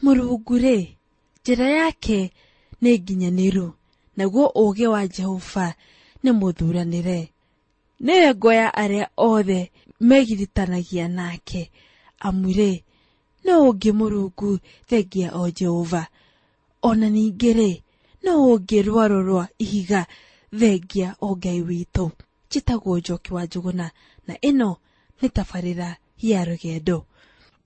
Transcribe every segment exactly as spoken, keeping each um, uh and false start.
Mũrungu-rĩ, njĩra yake nĩ nginyanĩru, naguo ũũgĩ wa Jehova nĩ mũthuranĩre. Nĩwe ngo ya arĩa othe megiritanagia nake, amu-rĩ, nũũ ũngĩ Mũrungu thengia o Jehova? Ona ningĩ-rĩ, nũũ ũngĩ rwaro rwa ihiga thengia o Ngai witũ? Njĩtagwo Njoki wa Njũgũna, na ĩno nĩ tabarĩra ya rũgendo.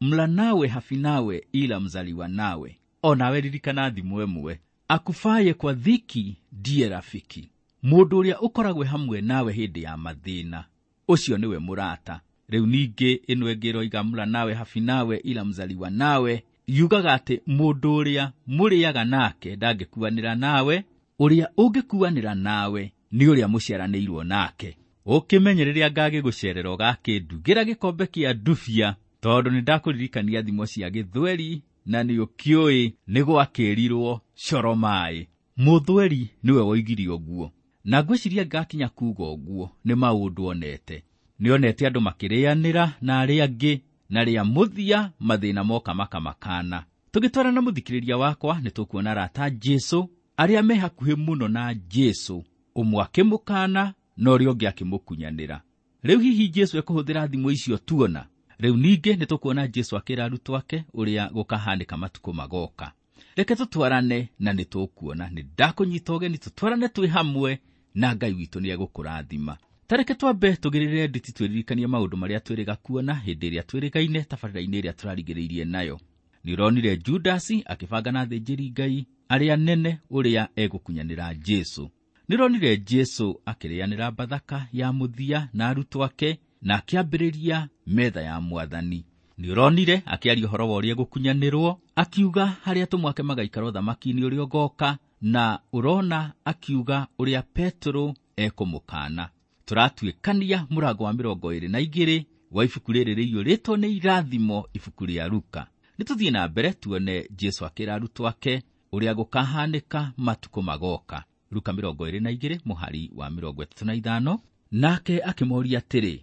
Mla nawe hafinawe ila mzaliwa nawe. Onawe ririkana thimo ĩmwe, akufaye kwa dhiki ndiye rafiki. Mũndũ ũrĩa ũkoragwo hamwe nawe hĩndĩ ya mathĩna, ũcio nĩwe mũrata. Rĩu ningĩ ĩno ĩngĩ ĩroiga mla nawe hafinawe ila mzaliwa nawe, yugaga atĩ mũndũ ũrĩa mũrĩaga nake ndangĩkuanĩra nawe, ũrĩa ũngĩkuanĩra nawe nĩ ũrĩa mũciaranĩirwo nake. Ũkĩmenye rĩrĩa ngagĩgũcerera ũgakĩndugĩra gĩkombe kĩa ndubia, tondũ nĩ ndakũririkania thimo cia gĩthweri na nĩ ũkĩũĩ nĩ gwakĩrirwo coro maĩ. Mũthweri nĩwe woigire ũguo, na ngwĩciria ngakinya kuuga ũguo nĩ maũndũ onete. Nĩ onete andũ makĩrĩanĩra na arĩa angĩ, na rĩa mũthia mathĩna moka makamakana. Tũgĩtwarana mũthikĩrĩria wakwa nĩ tũkuona arata Jesũ arĩa me hakuhĩ mũno na Jesũ, ũmwe akĩmũkana na ũrĩa ũngĩ akĩmũkunyanĩra. Rĩu hihi Jesũ ekũhũthĩra thimo icio tuona? Rĩu ningĩ nĩ tũkuona Jesũ akĩra arutwo ake ũrĩa gũkahanĩka matukũ magoka. Reke tũtwarane na nĩ tũkuona. Nĩ ndakũnyita ũgeni tũtwarane twĩ hamwe na Ngai witũ nĩ egũkũrathima. Ta reke twambe tũgĩrĩre nditi twĩririkanie maũndũ marĩa twĩrĩga kuona hĩndĩ ĩrĩa twĩrĩgaine tabarĩra-inĩ ĩrĩa tũrarigĩrĩirie nayo. Nĩ ũronire Judasi akĩbanga na athĩnjĩri Ngai arĩa nene ũrĩa egũkunyanĩra Jesũ. Nĩ ũronire Jesũ akĩrĩanĩra Bathaka ya mũthia na arutwo ake na akĩambĩrĩria metha ya Mwathani. Nĩ ũronire akĩaria ũhoro wa ũrĩa egũkunyanĩrwo, akiuga harĩa atũmwo ake magaikara ũthamaki-inĩ ũrĩa ũgoka, na ũrona akiuga ũrĩa Petero ekũmũkana. Tũratuĩkania mũrango wa mĩrongo ĩrĩ na igĩrĩ wa ibuku rĩrĩ rĩiyũrĩtwo nĩ irathimo, ibuku rĩa Luka. Nĩ tũthiĩ na mbere tuone Jesũ akĩra arutwo ake ũrĩa gũkahanĩka matukũ magoka. Luka mĩrongo ĩrĩ na igĩrĩ mũhari wa mĩrongo ĩtatũ na ithano. Nake akĩmoria atĩrĩ,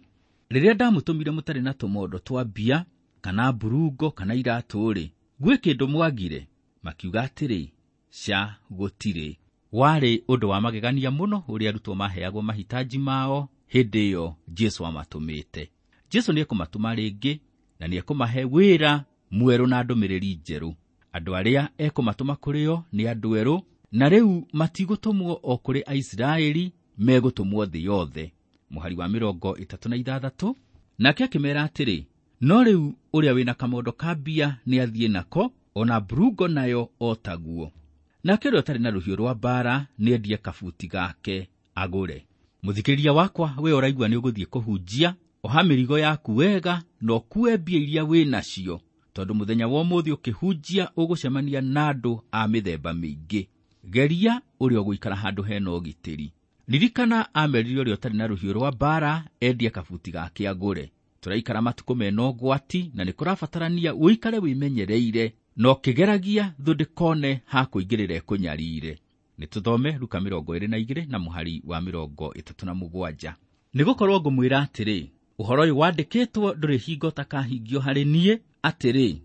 rĩrĩa ndamũtũmire mũtarĩ na tũmondo twa mbia kana mburungo kana iratũ-rĩ, gwĩ kĩndũ mwagire? Makiuga atĩrĩ, ca, gũtirĩ. Warĩ ũndũ wa magegania mũno ũrĩa arutwo maheagwo mahitaji mao hĩndĩ ĩyo Jesũ amatũmĩte. Jesũ nĩekũmatũma rĩngĩ na nĩekũmahe wĩra mwerũ na ndũmĩrĩri njerũ. Andũ arĩa ekũmatũma kũrĩ o nĩ andũ erũ, na rĩu matigũtũmwo o kũrĩ Aisiraeli, megũtũmwo thĩ yothe. Mũhari wa mĩrongo ĩtatũ na ithathatũ. Nake akĩmera atĩrĩ, no rĩu ũrĩa wĩna kamondo ka mbia nĩathiĩ nako, ona mburungo nayo o taguo. Nake ũrĩa ũtarĩ na rũhiũ rwa mbaara nĩendie kabuti gake agũre. Mũthikĩrĩria wakwa, we ũraigua nĩ ũgũthiĩ kũhunjia, oha mĩrigo yaku wega na ũkue mbia iria wĩ nacio, tondũ mũthenya wa ũmũthĩ ũkĩhunjia ũgũcemania na andũ a mĩthemba mĩingĩ. Geria ũrĩa ũgũikara handũ hena ũgitĩri. Ririkana amerire ũrĩa ũtarĩ na rũhiũ rwa mbaara endie kabuti gake agũre. Tũraikara matukũ mena ũgwati na nĩ kũrabatarania ũikare wĩmenyereire na ũkĩgeragia thũ ndĩkone ha kũingĩrĩra ĩkũnyarire. Nĩ tũthome Luka mĩrongo ĩrĩ na igĩrĩ na mũhari wa mĩrongo ĩtatũ na mũgwanja. Nĩgũkorwo ngũmwĩra atĩrĩ, ũhoro ũyũ wandĩkĩtwo ndũrĩ hingo ũtakahingio harĩ niĩ, atĩrĩ,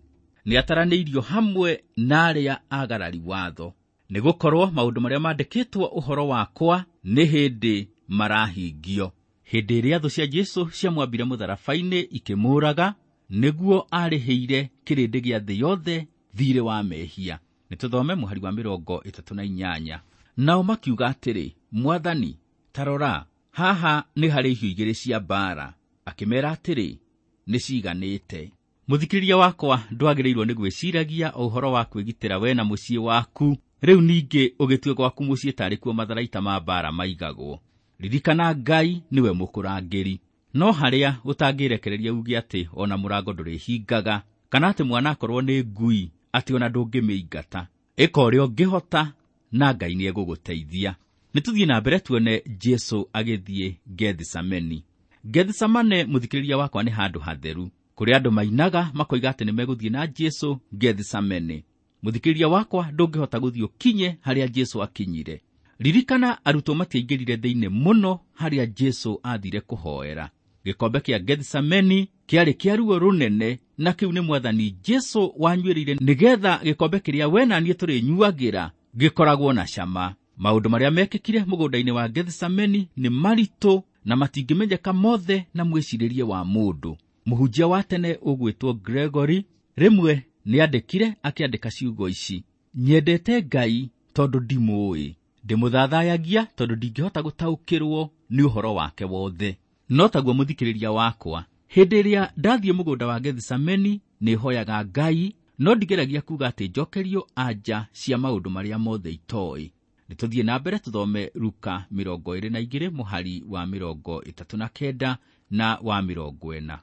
nĩataranĩirio hamwe na arĩa agarari watho. Nĩgũkorwo maũndũ marĩa mandĩkĩtwo ũhoro wakwa nĩ hĩndĩ marahingio. Hĩndĩ ĩrĩa thũ cia Jesũ ciamwambire mũtharaba-inĩ ikĩmũũraga, nĩguo arĩhĩire kĩrĩndĩ gĩa thĩ yothe thiirĩ wa mehia. Nĩ tũthome mũhari wa mĩrongo ĩtatũ na inyanya. Nao makiuga atĩrĩ, Mwathani, ta rora, haha nĩ harĩ ihiũ igĩrĩ cia mbaara. Akĩmeera atĩrĩ, nĩ ciiganĩte. Mũthikĩrĩria wakwa, ndwagĩrĩirwo nĩ gwĩciragia o ũhoro wa kwĩgitĩra we na mũciĩ waku. Rĩu ningĩ ũgĩtue gwaku mũciĩ tarĩ kuo matharaita ma mbaara maigagwo. Ririkana Ngai nĩwe mũkũrangĩri. No harĩa ũtangĩrekereria uge atĩ ona mũrango ndũrĩhingaga, kana atĩ mwana akorwo nĩ ngui atĩ ona ndũngĩmĩingata. Ĩka ũrĩa ũngĩhota na Ngai nĩegũgũteithia. Nĩ tũthiĩ na mbere tuone Jesũ agĩthiĩ Gethisemane. Gethisemane, mũthikĩrĩria wakwa, nĩ handũ hatheru kũrĩa andũ mainaga makoiga atĩ nĩmegũthiĩ na Jesũ Gethisemane. Mũthikĩrĩria wakwa, ndũngĩhota gũthiĩ ũkinye harĩa Jesũ akinyire. Ririkana arutwo matiaingĩrire thĩinĩ mũno harĩa Jesũ aathire kũhoera. Gĩkombe kĩa Gethsemane kĩarĩ kĩa ruo rũnene, na kĩu nĩ Mwathani Jesũ wanyuĩrĩire nĩgetha gĩkombe kĩrĩa we na niĩ tũrĩnyuagĩra gĩkoragwo na cama. Maũndũ marĩa mekĩkire mũgũnda-inĩ wa Gethsemane nĩ maritũ na matingĩmenyeka mothe na mwĩcirĩrie wa mũndũ. Mũhunjia wa tene ũgwĩtwo Gregory rĩmwe nĩandĩkire akĩandĩka ciugo ici: nyendete Ngai tondũ ndimũũĩ, ndĩmũthathayagia tondũ ndingĩhota gũtaũkĩrwo nĩ ũhoro wake wothe. No taguo mũthikĩrĩria wakwa, hĩndĩ ĩrĩa ndathiĩ mũgũnda wa Gethsemane nĩhoyaga Ngai, no ndigeragia kuga atĩ njokerio anja cia maũndũ marĩa mothe itoĩ. Nĩtũthiĩ na mbere tũthome Luka mĩrongo ĩrĩ na igĩrĩ mũhari wa mĩrongo ĩtatũ na kenda na wa mĩrongo ĩna.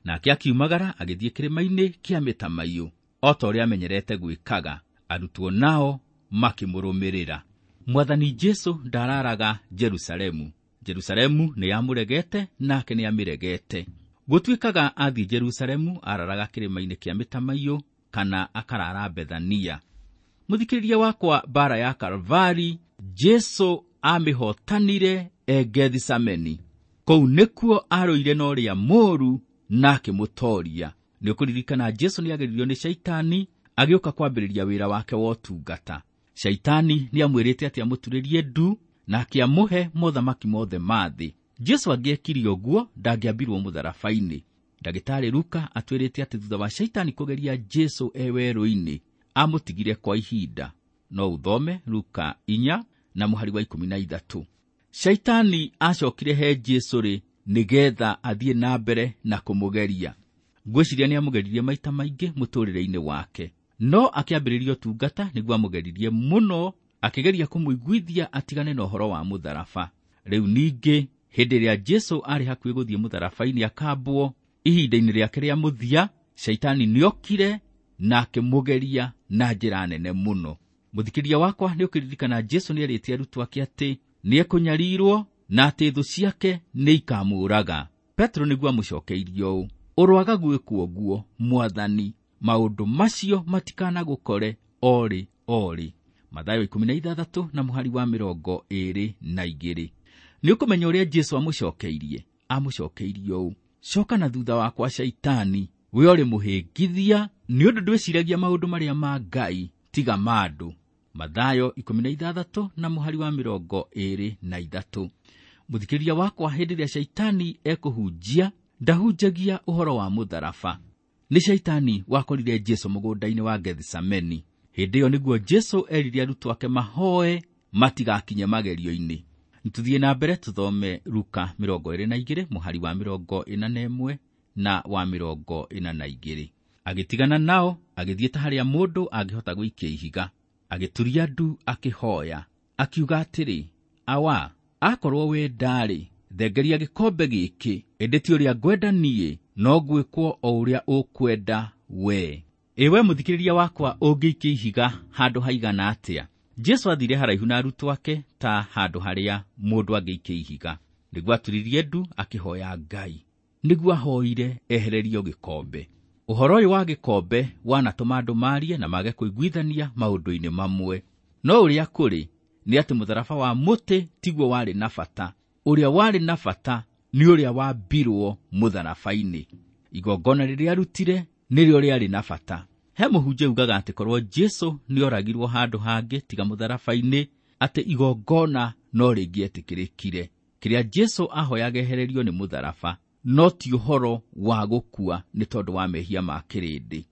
Nake akiumagara agĩthiĩ kĩrĩma-inĩ kĩa mĩtamaiyũ o ta ũrĩa amenyerete gwĩkaga, arutwo nao makĩmũrũmĩrĩra. Mwathani Jesũ ndararaga Jerusalemu. Jerusalemu nĩyamũregete nake nĩamĩregete. Gũtuĩkaga athiĩ Jerusalemu araraga kĩrĩma-inĩ kĩa mĩtamaiyũ kana akarara Bethania. Mũthikĩrĩria wakwa, mbara ya Kalvari Jesũ amĩhotanire e Gethsemane. Kũu nĩkuo arũire na ũrĩa mũũru na akĩmũtooria. Nĩũkũririkana Jesũ nĩageririo nĩ Shaitani agĩũka kwambĩrĩria wĩra wake wa ũtungata. Shaitani nĩamwĩrĩte atĩ amũturĩrie ndu na akĩamũhe mothamaki mothe ma thĩ. Jesũ angĩekire ũguo ndangĩambirwo mũtharaba-inĩ. Ndagĩtarĩ Luka atwĩrĩte atĩ thutha wa Shaitani kũgeria Jesũ e werũ-inĩ amũtigire kwa ihinda. No ũthome Luka inya na mũhari wa ikũmi na ithatũ. Shaitani acokire he Jesũ rĩ nĩgetha athiĩ na mbere na kũmũgeria. Ngwĩciria nĩamũgeririe maita maingĩ mũtũrĩre-inĩ wake, no akĩambĩrĩria ũtungata nĩguo amũgeririe mũno, akĩgeria kũmũiguithia atigane na ũhoro wa mũtharaba. Rĩu ningĩ hĩndĩ ĩrĩa Jesũ arĩ hakuhĩ gũthiĩ mũtharaba-inĩ akambwo, ihinda-inĩ rĩake rĩa mũthia, Shaitani nĩokire na akĩmũgeria na njĩra nene mũno. Mũthikĩrĩria wakwa, nĩũkĩririkana Jesũ nĩerĩte arutwo ake atĩ nĩekũnyarirwo na atĩ thũ ciake nĩikamũũraga. Petero nĩguo amũcokeirie ũũ: ũroaga gwĩkwo ũguo, Mwathani, maũndũ macio matikanagũkore o rĩ o rĩ. Mathayo ikũmi na ithathatũ na mũhari wa mĩrongo ĩrĩ na igĩrĩ. Nĩũkũmenya ũrĩa Jesũ amũcokeirie? Amũcokeirie ũũ: coka na thutha wakwa Shaitani, we ũrĩ mũhĩngithia, nĩ ũndũ ndwĩciragia maũndũ marĩa ma Ngai tiga ma andũ. Mathayo ikũmi na ithathatũ na mũhari wa mĩrongo ĩrĩ na ithatũ. Mũthikĩrĩria wakwa, hĩndĩ ĩrĩa Shaitani ekũhunjia ndahunjagia ũhoro wa mũtharaba. Nĩ Shaitani wakorire Jesũ mũgũnda-inĩ wa Gethsemane. Hĩndĩ ĩyo nĩguo Jesũ erire arutwo ake mahoe matigakinye magerio-inĩ. Nĩtũthiĩ na mbere tũthome Luka mĩrongo ĩrĩ na igĩrĩ mũhari wa mĩrongo ĩna na ĩmwe na wa mĩrongo ĩna na igĩrĩ. Agĩtigana nao agĩthiĩ ta harĩa mũndũ angĩhota gũikia ihiga, agĩturia ndu akĩhoya, akiuga atĩrĩ, Awa, akorwo we ndarĩ, thengeria gĩkombe gĩkĩ, ĩndĩ ti ũrĩa ngwenda niĩ, no gwĩkwo o ũrĩa ũkwenda we. Ĩwe mũthikĩrĩria wakwa, ũngĩikia ihiga handũ haigana atĩa? Jesũ athire haraihu na arutwo ake ta handũ harĩa mũndũ angĩikia ihiga. Nĩguo aturirie ndu akĩhoya Ngai. Nĩguo ahoire ehererio gĩkombe. Ũhoro ũyũ wa gĩkombe wanatũma andũ marie na mage kũiguithania maũndũ-inĩ mamwe. No ũrĩa kũrĩ nĩ atĩ mũtharaba wa mũtĩ tiguo warĩ na bata. Ũrĩa warĩ na bata nĩ ũrĩa wambirwo mũtharaba-inĩ. Igongona rĩrĩa arutire nĩrĩo rĩarĩ na bata. He mũhunjia ugaga atĩ korwo Jesũ nĩoragirwo handũ hangĩ tiga mũtharaba-inĩ, atĩ igongona no rĩngĩetĩkĩrĩkire. Kĩrĩa Jesũ ahoyaga ehererio nĩ mũtharaba, no ti ũhoro wa gũkua nĩ tondũ wa mehia ma kĩrĩndĩ.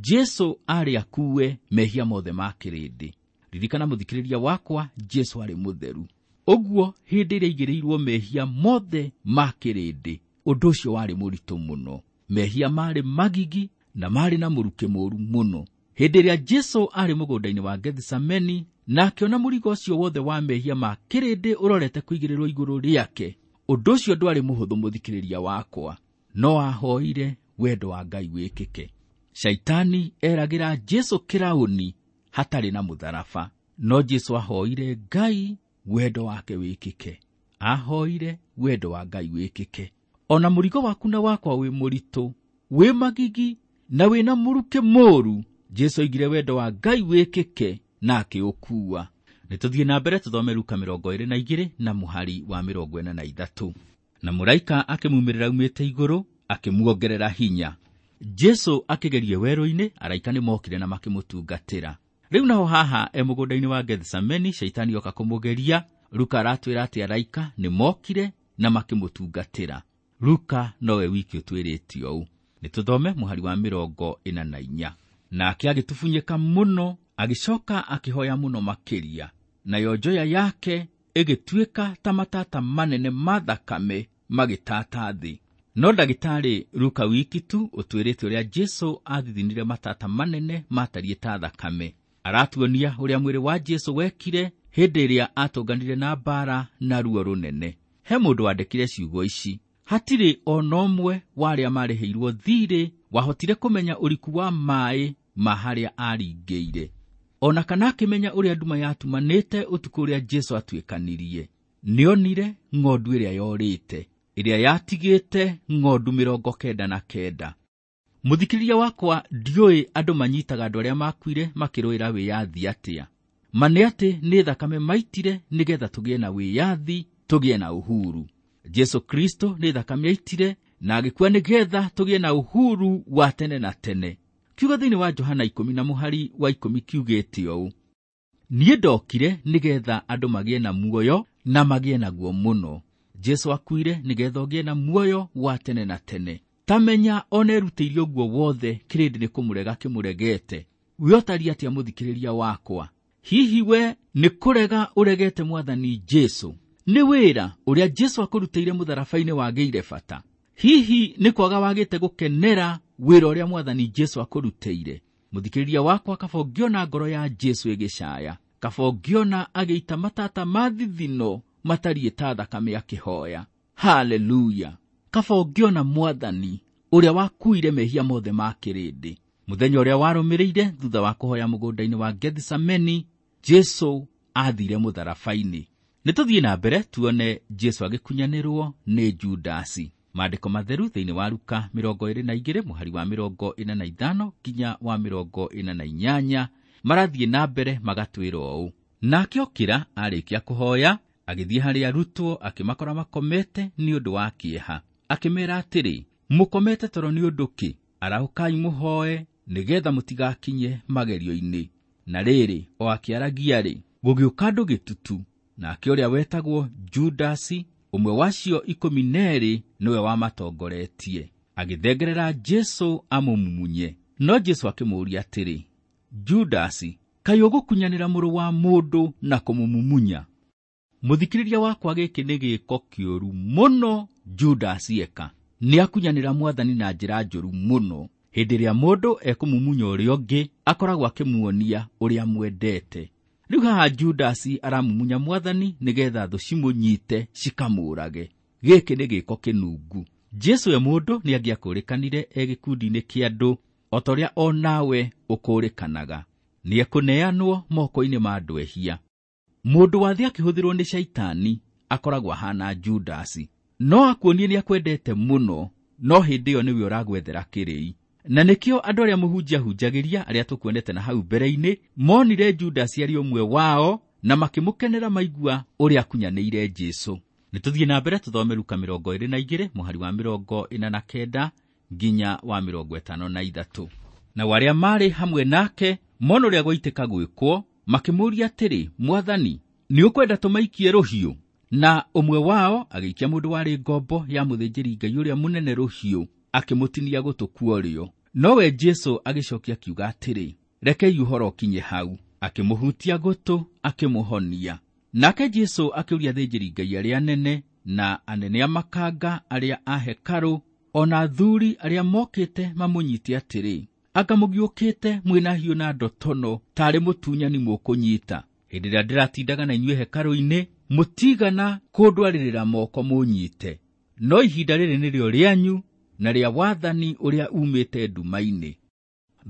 Jesũ arĩ akue mehia mothe ma kĩrĩndĩ. Ririkana mũthikĩrĩria wakwa, Jesũ arĩ mũtheru. Ũguo hĩndĩ ĩrĩa aigĩrĩirwo mehia mothe ma kĩrĩndĩ, ũndũ ũcio warĩ mũritũ mũno. Mehia marĩ magigi na marĩ na mũrukĩ mũũru mũno. Hĩndĩ ĩrĩa Jesũ arĩ mũgũnda-inĩ wa Gethsemane na akĩona mũrigo ũcio wothe wa mehia ma kĩrĩndĩ ũrorete kũigĩrĩrwo igũrũ rĩake, ũndũ ũcio ndwarĩ mũhũthũ mũthikĩrĩria wakwa, no ahoire wendo wa Ngai wĩkĩke. Shaitani eragĩra Jesũ kĩraũni hatarĩ na mũtharaba, no Jesũ ahoire Ngai wendo wake wĩkĩke. Ahoire wendo wa Ngai wĩkĩke. Ona mũrigo waku na wakwa wĩ mũritũ, wĩ magigi na wĩna mũrukĩ mũũru, Jesũ oigire wendo wa Ngai wĩkĩke na akĩũkuua. Nĩtũthiĩ na mbere tũthome Luka mĩrongo ĩrĩ na igĩrĩ na mũhari wa mĩrongo ĩna na ithatũ. Na mũraika akĩmumĩrĩra aumĩte igũrũ akĩmuongerera hinya. Jesu akĩgerio werũ-inĩ, araika nĩmokire na makĩmũtungatĩra. Rĩu naho haha e mũgũnda-inĩ wa Gethsemane, shaitani oka kũmũgeria. Luka aratwĩra atĩ araika nĩmokire na makĩmũtungatĩra. Luka nowe wiki ũtwĩrĩte ũũ. Nĩtũthome mũhari wa mĩrongo ĩna na inya. Nake agĩtubunyĩka mũno, agĩcoka akĩhoya mũno makĩria, nayo njoya yake ĩgĩtuĩka ta matata manene ma thakame magĩtata thĩ. No ndagĩtarĩ Luka wiki tu ũtwĩrĩte ũrĩa Jesu athithinire matata manene matariĩ ta thakame. Aratuonia ũrĩa mwĩrĩ wa Jesu wekire hĩndĩ ĩrĩa atũnganire na mbara na ruo rũnene. He mũndũ wandĩkire ciugo ici: hatirĩ ona ũmwe wa arĩa marĩhĩirwo thirĩ wahotire kũmenya ũriku wa maĩ ma harĩa aringĩire, ona kana akĩmenya ũrĩa nduma yatumanĩte ũtukũ ũrĩa Jesu atuĩkanirie. Nĩonire ng'ondu ĩrĩa yorĩte, ĩrĩa yatigĩte ng'ondu mĩrongo kenda na kenda. Mũthikĩrĩria wakwa, ndiũĩ andũ manyitaga andũ arĩa makuire makĩrũĩra wĩyathi atĩa. Ma nĩ atĩ nĩ thakame maitire nĩgetha tũgĩe na wĩyathi, tũgĩe na uhuru. Jesu Kristo nĩ thakame aitire na agĩkua nĩgetha tũgĩe na uhuru wa tene na tene. Kiugo thĩinĩ wa Johana ikũmi na mũhari wa ikũmi kiugĩte ũũ: niĩ ndokire nĩgetha andũ magĩe na muoyo na magĩe naguo mũno. Jesu akuire nĩgetha ũgĩe na muoyo wa tene na tene. Tamenya ona erutĩire ũguo wothe, kĩrĩndĩ nĩ kũmũrega kĩmũregete. We ũtariĩ atĩa mũthikĩrĩria wakwa? Hihi we nĩ kũrega ũregete Mwathani Jesu? Nĩ wĩra ũrĩa Jesu akũrutĩire mũtharaba-inĩ wagĩire bata? Hihi nĩ kwaga wagĩte gũkenera wĩra ũrĩa Mwathani Jesu akũrutĩire? Mũthikĩrĩria wakwa, kaba ũngĩona ngoro ya Jesu ĩgĩcaya, kaba ũngĩona agĩita matata ma thithino matariĩ ta thakame akĩhoya. Haleluya! Kaba ũngĩona Mwathani ũrĩa wakuire mehia mothe ma kĩrĩndĩ. Mũthenya ũrĩa warũmĩrĩire thutha wa kũhoya mũgũnda-inĩ wa Gethsemane, Jesu aathire mũtharaba-inĩ. Nĩtũthiĩ na mbere tuone Jesu agĩkunyanĩrwo nĩ Judasi. Maandĩko matheru thĩinĩ wa Luka mĩrongo ĩrĩ na igĩrĩ mũhari wa mĩrongo ĩna na ithano nginya wa mĩrongo ĩna na inyanya marathiĩ na mbere magatwĩra ũũ: nake okĩra arĩkia kũhoya, agĩthiĩ harĩ arutwo, akĩmakora makomete nĩ ũndũ wa kĩeha. Akĩmeera atĩrĩ, mũkomete toro nĩ ũndũ kĩ? Arahũkai mũhoe nĩgetha mũtigakinye magerio-inĩ. Na rĩrĩ, o akĩaragia-rĩ, gũgĩũka andũ gĩtutu, nake ũrĩa wetagwo Judasi, ũmwe wacio ikũmi na erĩ, nĩwe wamatongoretie. Agĩthengerera Jesu amũmumunye. No Jesu akĩmũũria atĩrĩ, Judasi, kaĩ ũgũkunyanĩra mũrũ wa mũndũ na kũmũmumunya? Mũthikĩrĩria wakwa, gĩkĩ nĩ gĩĩko kĩũru mũno Judasi eka. Nĩakunyanĩra Mwathani na njĩra njũru mũno. Hĩndĩ ĩrĩa mũndũ ekũmumunya ũrĩa ũngĩ, akoragwo akĩmuonia ũrĩa mwendete. Rĩu haha Judasi aramumunya Mwathani nĩgetha thũ cimũnyite cikamũũrage. Gĩkĩ nĩ gĩĩko kĩnungu. Jesu we mũndũ nĩangĩakũrĩkanire e gĩkundi-inĩ kĩa andũ o ta ũrĩa o nawe ũkũrĩkanaga. Nĩekũneanwo moko-inĩ ma andũ ehia. Mũndũ wa thĩ akĩhũthĩrwo nĩ shaitani akoragwo ahana Judasi. No akuonie nĩakwendete mũno, no hĩndĩ ĩyo nĩwe ũragwethera kĩrĩi. Na nĩkĩo andũ arĩa mũhunjia hunjagĩria, arĩa tũkuonete na hau mbere-inĩ, monire Judasi arĩ ũmwe wao na makĩmũkenera maigua ũrĩa akunyanĩire Jesu. Nĩtũthiĩ na mbere tũthome Luka mĩrongo ĩrĩ na igĩrĩ mũhari wa mĩrongo ĩna na kenda nginya wa mĩrongo ĩtano na ithatũ. Nao arĩa maarĩ hamwe nake mona ũrĩa gwaitĩka gwĩkwo, makĩmũũria atĩrĩ, Mwathani, nĩũkwenda tũmaikie rũhiũ? Na ũmwe wao agĩikia mũndũ warĩ ngombo ya mũthĩnjĩri-Ngai ũrĩa mũnene rũhiũ, akĩmũtinia gũtũ kuorĩo. Nowe Jesu agĩcokia akiuga atĩrĩ, rekei ũhoro ũkinye hau. Akĩmũhutia gũtũ, akĩmũhonia. Nake Jesu akĩũria athĩnjĩri-Ngai arĩa anene na anene a makanga arĩa a hekarũ, ona athuri arĩa mokĩte mamũnyite atĩrĩ, anga mũgiũkĩte mwĩna hiũ na ndotono tarĩ mũtunyani mũkũnyita? Hĩndĩ ĩrĩa ndĩratindaga na inyuĩ hekarũ-inĩ, mũtigana kũndwarĩrĩra moko mũnyite. No ihinda rĩrĩ nĩrĩo rĩanyu na rĩa wathani ũrĩa umĩte nduma-inĩ.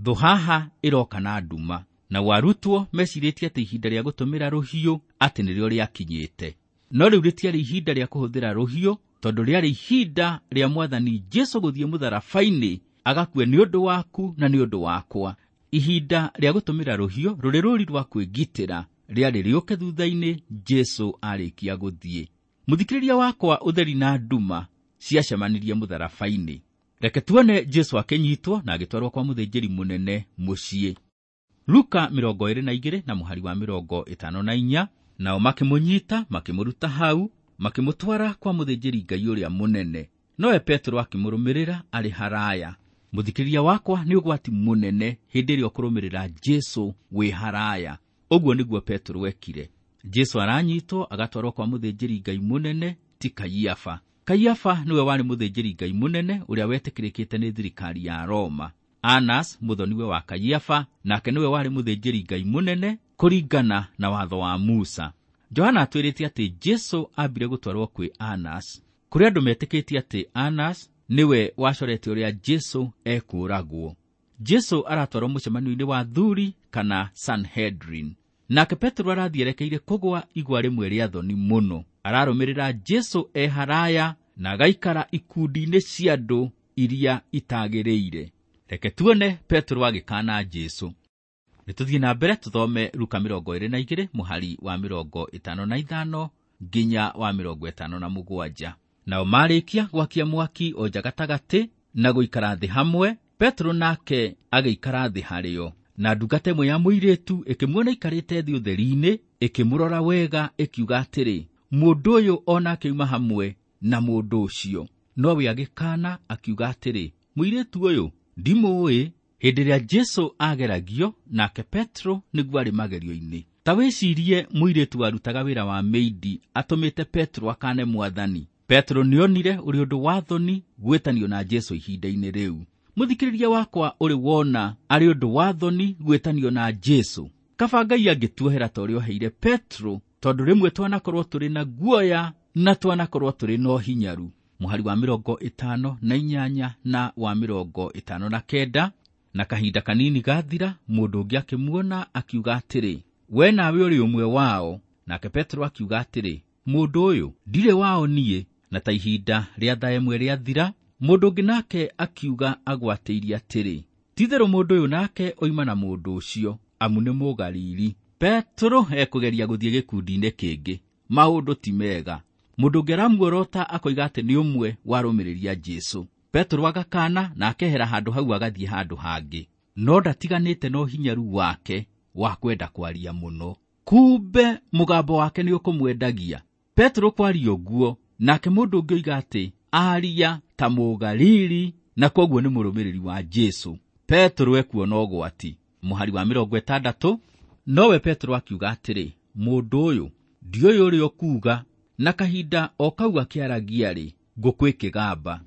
Thũ haha ĩroka na nduma, na arutwo mecirĩtie atĩ ihinda rĩa gũtũmĩra rũhiũ atĩ nĩrĩo rĩakinyĩte. No rĩu rĩtiarĩ ihinda rĩa kũhũthĩra rũhiũ, tondũ rĩarĩ ihinda rĩa Mwathani Jesu gũthiĩ mũtharaba-inĩ agakue nĩ ũndũ waku na nĩ ũndũ wakwa. Ihinda rĩa gũtũmĩra rũhiũ rũrĩ rũri rwa kwĩgitĩra rĩarĩ rĩũke thutha-inĩ Jesu arĩkia gũthiĩ. Mũthikĩrĩria wakwa, ũtheri na nduma ciacemanirie mũtharaba-inĩ. Reke tuone Jesũ akĩnyitwo na agĩtwarwo kwa mũthĩnjĩri mũnene mũciĩ. Luka mĩrongo ĩrĩ na igĩrĩ na mũhari wa mĩrongo ĩtano na inya. Nao makĩmũnyita makĩmũruta hau makĩmũtwara kwa mũthĩnjĩri Ngai ũrĩa mũnene. Nowe Petero akĩmũrũmĩrĩra arĩ haraya. Mũthikĩrĩria wakwa, nĩ ũgwati mũnene hĩndĩ ĩrĩa ũkũrũmĩrĩra Jesũ wĩ haraya. Ũguo nĩguo Petero ekire. Jesũ aranyitwo agatwarwo kwa mũthĩnjĩri Ngai mũnene, ti Kaiafa. Kaiafa nĩwe warĩ mũthĩnjĩri Ngai mũnene ũrĩa wetĩkĩrĩkĩte nĩ thirikari ya Roma. Anas mũthoniwe wa Kaiafa nake nĩwe warĩ mũthĩnjĩri Ngai mũnene kũringana na watho wa Musa. Johana atwĩrĩte atĩ Jesũ ambire gũtwarwo kwĩ Anas, kũrĩa andũ metĩkĩtie atĩ Anas nĩwe wacorete ũrĩa Jesũ ekũũragwo. Jesũ aratwarwo mũcemanio-inĩ wa athuri kana Sanhedrin. Nake Petero arathiĩ erekeire kũgwa igwa rĩmwe rĩa thoni mũno. Ararũmĩrĩra Jesũ e haraya na agaikara ikundi-inĩ cia andũ iria itagĩrĩire. Reke tuone Petero agĩkaana Jesũ. Nĩtũthiĩ na mbere tũthome Luka mĩrongo ĩrĩ na igĩrĩ mũhari wa mĩrongo ĩtano na ithano nginya wa mĩrongo ĩtano na mũgwanja. Nao marĩkia gwakia mwaki o nja gatagatĩ na gũikara thĩ hamwe, Petero nake agĩikara thĩ harĩo. Na ndungata ĩmwe ya mũirĩtu ĩkĩmuona aikarĩte thĩ ũtheri-inĩ, ĩkĩmũrora wega ĩkiuga atĩrĩ, mũndũ ũyũ o nake oima hamwe na mũndũ ũcio. Nowe agĩkaana akiuga atĩrĩ, mũirĩtu ũyũ ndimũũĩ. Hĩndĩ ĩrĩa Jesũ ageragio, nake Petero nĩguo arĩ magerio-inĩ. Ta wĩcirie mũirĩtu warutaga wĩra wa meidi atũmĩte Petero akane Mwathani. Petero nĩonire ũrĩ ũndũ wa thoni gwĩtanio na Jesũ ihinda-inĩ rĩu. Mũthikĩrĩria wakwa, ũrĩ wona arĩ ũndũ wa thoni gwĩtanio na Jesũ? Kaba Ngai angĩtuohera ta ũrĩa oheire Petero, tondũ rĩmwe twanakorwo tũrĩ na guoya na twanakorwo tũrĩ na ũhinyaru. Mũhari wa mĩrongo ĩtano na inyanya na wa mĩrongo ĩtano na kenda. Na kahinda kanini gathira, mũndũ ũngĩ akĩmuona akiuga atĩrĩ, we nawe ũrĩ ũmwe wao. Nake Petero akiuga atĩrĩ, mũndũ ũyũ ndirĩ wao niĩ. Na ta ihinda rĩa thaa ĩmwe rĩathira, mũndũ ũngĩ nake akiuga agwatĩirie atĩrĩ, ti-itherũ mũndũ ũyũ nake oima na mũndũ ũcio, amu nĩ Mũgalili. Petero ekũgeria gũthiĩ gĩkundi-inĩ kĩngĩ. Maũndũ ti mega. Mũndũ ũngĩ aramuorota akoiga atĩ nĩ ũmwe warũmĩrĩria Jesũ. Petero agakana na akehera handũ hau agathiĩ handũ hangĩ. No ndatiganĩte na ũhinyaru wake wa kwenda kwaria mũno. Kumbe mũgambo wake nĩ ũkũmwendagia. Petero kwaria ũguo, nake mũndũ ũngĩ oiga atĩ aria ta Mũgalili na kwoguo nĩ mũrũmĩrĩri wa Jesũ. Petero ekuona ũgwati. Mũhari wa mĩrongo ĩtandatũ. Nowe Petero akiuga atĩrĩ, mũndũ ũyũ ndiũĩ ũrĩa ũkuuga. Na kahinda o kau akĩaragia-rĩ, ngũkũ ĩkĩgamba.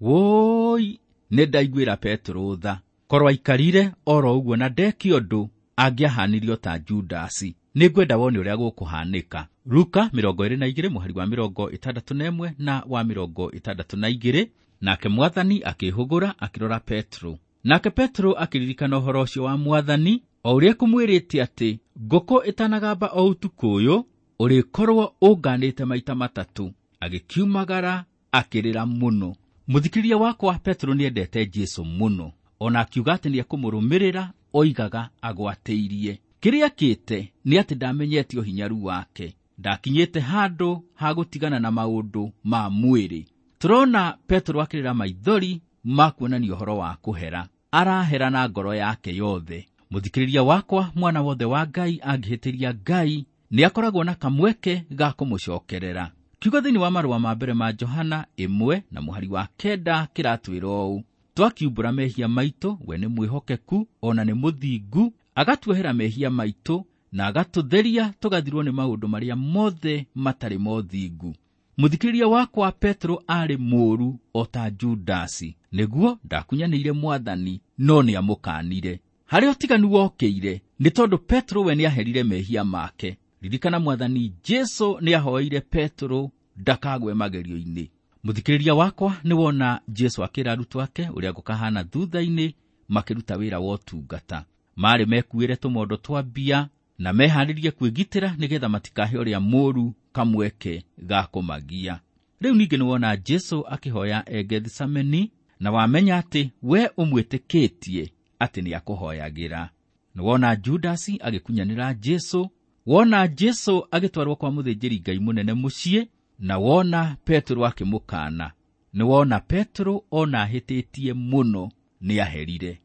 Wũi, nĩ ndaiguĩra Petero tha. Korwo aikarire oro ũguo na ndeke ũndũ, angĩahanirio ta Judasi. Nĩngwenda wone ũrĩa gũkũhanĩka. Luka mĩrongo ĩrĩ na igĩrĩ mũhari wa mĩrongo ĩtandatũ na ĩmwe na wa mĩrongo ĩtandatũ na igĩrĩ. Nake Mwathani akĩhũgũra akĩrora Petero. Nake Petero akĩririkana ũhoro ũcio wa Mwathani, o ũrĩa ekũmwĩrĩte atĩ ngũkũ ĩtanagamba o ũtukũ ũyũ, ũrĩkorwo ũnganĩte maita matatũ. Agĩkiumagara akĩrĩra mũno. Mũthikĩrĩria wakwa, Petero nĩendete Jesũ mũno. Ona akiuga atĩ nĩekũmũrũmĩrĩra, oigaga agwatĩirie. Kĩrĩa akĩte nĩ atĩ ndamenyete ũhinyaru wake. Ndakinyĩte handũ ha gũtigana na maũndũ ma mwĩrĩ. Tũrona Petero akĩrĩra maithori ma kuonania ũhoro wa kũhera. Arahera na ngoro yake yothe. Mũthikĩrĩria wakwa, mwana wothe wa Ngai angĩhĩtĩria Ngai, nĩakoragwo na kamweke ga kũmũcokerera. Kiugo thĩinĩ wa marũa ma mbere ma Johana ĩmwe na mũhari wa kenda kĩratwĩra ũũ: twakiumbũra mehia maitũ, we nĩ mwĩhokeku ona nĩ mũthingu, agatuohera mehia maitũ na agatũtheria tũgathirwo nĩ maũndũ marĩa mothe matarĩ mothingu. Mũthikĩrĩria wakwa, Petero aarĩ mũũru o ta Judasi. Nĩguo ndakunyanĩire Mwathani, no nĩamũkanire. Harĩa ũtiganu wokĩire nĩ tondũ Petero we nĩaherire mehia make. Ririkana Mwathani Jesũ nĩahoeire Petero ndakagwe magerio-inĩ. Mũthikĩrĩria wakwa, nĩwona Jesũ akĩra arutwo ake ũrĩa gũkahana thutha-inĩ makĩruta wĩra wa ũtungata. Marĩ mekuĩre tũmondo twa mbia na meharĩrie kwĩgitĩra nĩgetha matikahe ũrĩa mũũru kamweke ga kũmagia. Rĩu ningĩ nĩwona Jesũ akĩhoya e Gethisemane, na wamenya atĩ we ũmwĩtĩkĩtie atĩ nĩakũhoyagĩra. Nĩwona Judasi agĩkunyanĩra Jesũ, wona Jesũ agĩtwarwo kwa mũthĩnjĩri Ngai mũnene mũciĩ, Na wona Petero akĩmũkaana, nĩ wona Petero ona ahĩtĩtie mũno nĩ aherire.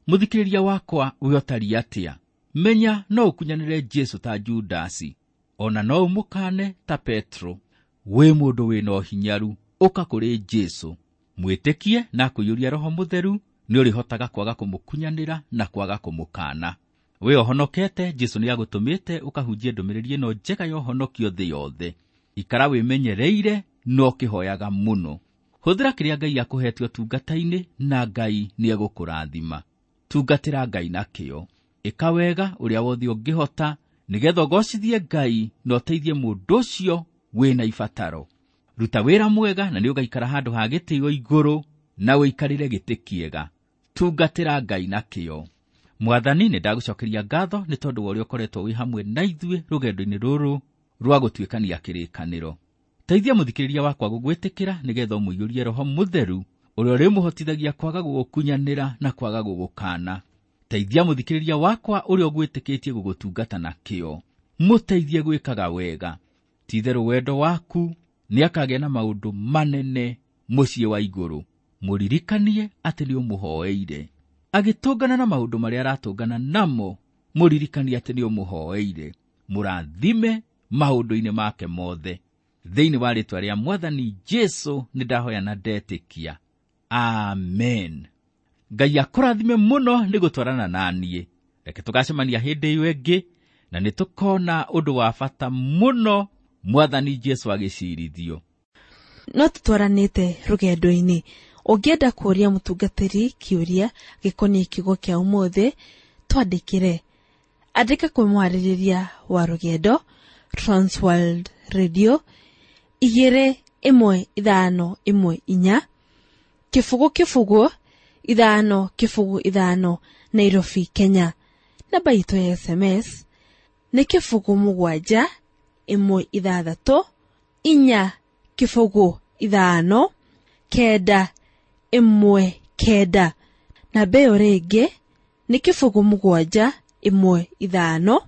Mũthikĩrĩria wakwa, we ũtariĩ atĩa? Menya no ũkunyanĩre Jesũ ta Judasi, ona no ũmũkaane ta Petero. Wĩ mũndũ wĩna ũhinyaru, ũka kũrĩ Jesũ, mwĩtĩkie na akũiyũria Roho Mũtheru, nĩ ũrĩhotaga kwaga kũmũkunyanĩra na kwaga kũmũkaana. We ũhonokete, Jesũ nĩ agũtũmĩte ũkahunjie ndũmĩrĩri ĩno njega ya ũhonokio thĩ yothe. Ikara wĩmenyereire na ũkĩhoyaga mũno. Hũthĩra kĩrĩa Ngai akũhete ũtungata-inĩ na Ngai nĩ egũkũrathima. Tungatĩra Ngai na kĩyo. Ĩka wega ũrĩa wothe ũngĩhota nĩgetha ũgocithie Ngai na ũteithie mũndũ ũcio wĩna ibataro. Ruta wĩra mwega na nĩ ũgaikara handũ ha gĩtĩo igũrũ na ũikarĩre gĩtĩ kĩega. Tungatĩra Ngai na kĩyo. Mwathani, nĩ ndagũcokeria ngatho nĩ tondũ wa ũrĩa ũkoretwo wĩ hamwe na ithuĩ rũgendo-inĩ rũrũ rwa gũtuĩkania kĩrĩkanĩro. Teithia mũthikĩrĩria wakwa gũgwĩtĩkĩra nĩgetha ũmũiyũrie Roho Mũtheru ũrĩa ũrĩmũhotithagia kwaga gũgũkunyanĩra na kwaga gũgũkaana. Teithia mũthikĩrĩria wakwa ũrĩa ũgwĩtĩkĩtie gũgũtungata na kĩyo, mũteithie gwĩkaga wega. Ti-itherũ wendo waku nĩ akagĩa na maũndũ manene mũciĩ wa igũrũ. Mũririkanie atĩ nĩ ũmũhoeire. Agĩtũngana na maũndũ marĩa aratũngana namo, mũririkanie atĩ nĩ ũmũhoeire. Mũrathime maũndũ-inĩ make mothe. Thĩinĩ wa rĩĩtwa rĩa Mwathani Jesũ nĩ ndahoya na ndetĩkia. Amen. Ngai akũrathime mũno nĩ gũtwarana na niĩ. Reke tũgacemania hĩndĩ ĩyo ĩngĩ na nĩ tũkona ũndũ wa bata mũno Mwathani Jesũ agĩcirithio. No tũtwaranĩte rũgendo-inĩ. Ũngĩenda kũũria mũtungatĩri kĩũria gĩkoniĩ kiugo kĩa ũmũthĩ, twandĩkĩre. Andĩka kwĩ mwarĩrĩria wa rũgendo, Transworld Radio, igĩrĩ ĩmwe ithano ĩmwe inya, kĩbũgũ kĩbũgũ ithano kĩbũgũ ithano, Nairobi, Kenya. Namba itũ ya S M S nĩ kĩbũgũ mũgwanja ĩmwe ithathatũ inya kĩbũgũ ithano kenda ĩmwe kenda. Namba ĩyo rĩngĩ nĩ kĩbũgũ mũgwanja ĩmwe ithano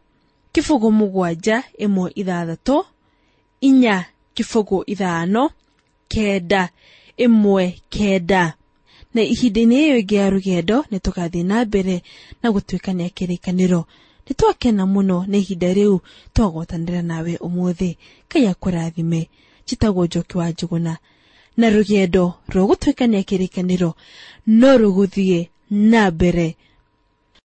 kĩbũgũ mũgwanja ĩmwe ithathatũ inya kĩbũgũ ithano kenda ĩmwe kenda. Na ihinda-inĩ ĩyo ĩngĩ ya rũgendo nĩ tũgathiĩ na mbere na gũtuĩkania kĩrĩkanĩro. Nĩ twakena mũno nĩ ihinda rĩu twagwatanĩra nawe ũmũthĩ. Ngai akũrathime. Njĩtagwo Njoki wa Njũgũna. Na rũgendo rwa gũtuĩkania kĩrĩkanĩro no rũgũthiĩ na mbere.